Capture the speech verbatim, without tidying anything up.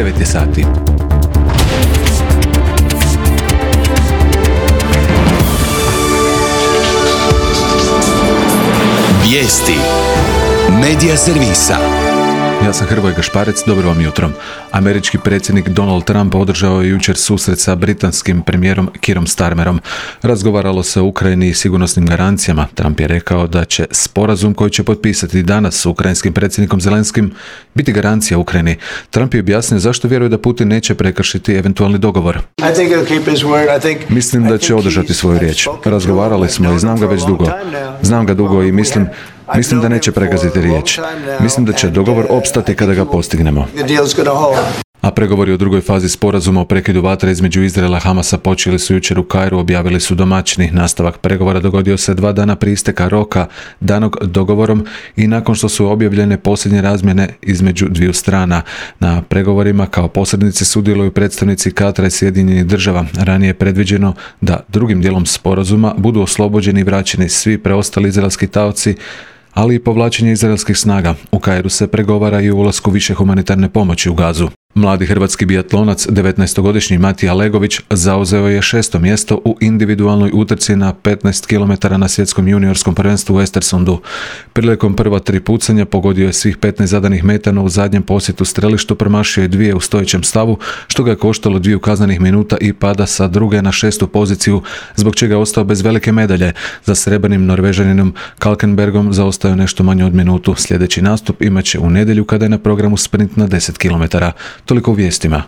devet je sati. Vijesti Medija servisa. Ja sam Hrvoje Gašparec, dobro vam jutro. Američki predsjednik Donald Trump održao je jučer susret sa britanskim premijerom Keerom Starmerom. Razgovaralo se o Ukrajini i sigurnosnim garancijama. Trump je rekao da će sporazum koji će potpisati danas s ukrajinskim predsjednikom Zelenskim biti garancija Ukrajini. Trump je objasnio zašto vjeruje da Putin neće prekršiti eventualni dogovor. Mislim da će održati svoju riječ. Razgovarali smo i znam ga već dugo. Znam ga dugo i mislim Mislim da neće pregaziti riječ. Mislim da će dogovor opstati kada ga postignemo. A pregovori o drugoj fazi sporazuma o prekidu vatre između Izraela i Hamasa počeli su jučer u Kairu, objavili su domaćini. Nastavak pregovora dogodio se dva dana prije isteka roka danog dogovorom i nakon što su objavljene posljednje razmjene između dviju strana. Na pregovorima kao posrednici sudjeluju predstavnici Katara i Sjedinjenih Država. Ranije je predviđeno da drugim dijelom sporazuma budu oslobođeni i vraćeni svi preostali izraelski taoci, ali i povlačenje izraelskih snaga. U Kairu se pregovara i o ulasku više humanitarne pomoći u Gazu. Mladi hrvatski biatlonac, devetnaestogodišnji Matija Legović, zauzeo je šesto mjesto u individualnoj utrci na petnaest kilometara na svjetskom juniorskom prvenstvu u Östersundu. Prilikom prva tri pucanja pogodio je svih petnaest zadanih metana u zadnjem posjetu strelištu, promašio je dvije u stojećem stavu, što ga je koštalo dviju kaznenih minuta i pada sa druge na šestu poziciju, zbog čega je ostao bez velike medalje. Za srebrnim Norvežaninom Kalkenbergom zaostao nešto manje od minutu. Sljedeći nastup imat će u nedjelju kada je na programu sprint na deset kilometara. Toliko u vijestima.